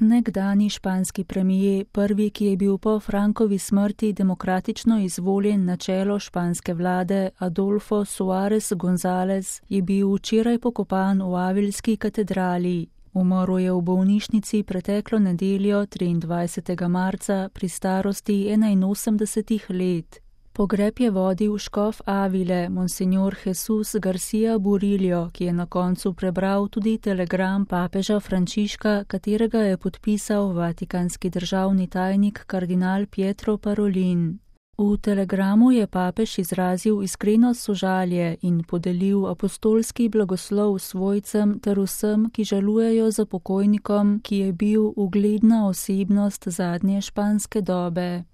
Nekdanji španski premier, prvi, ki je bil po Francovi smrti demokratično izvoljen na čelo španske vlade, Adolfo Suárez González, je bil včeraj pokopan v Avilski katedrali. Umrl je v bolnišnici preteklo nedeljo 23. marca pri starosti 81 let. Pogreb je vodil škof Avile, monsignor Jesús García Burillo, ki je na koncu prebral tudi telegram papeža Frančiška, katerega je podpisal vatikanski državni tajnik kardinal Pietro Parolin. V telegramu je papež izrazil iskreno sožalje in podelil apostolski blagoslov svojcem ter vsem, ki žalujejo za pokojnikom, ki je bil ugledna osebnost zadnje španske dobe.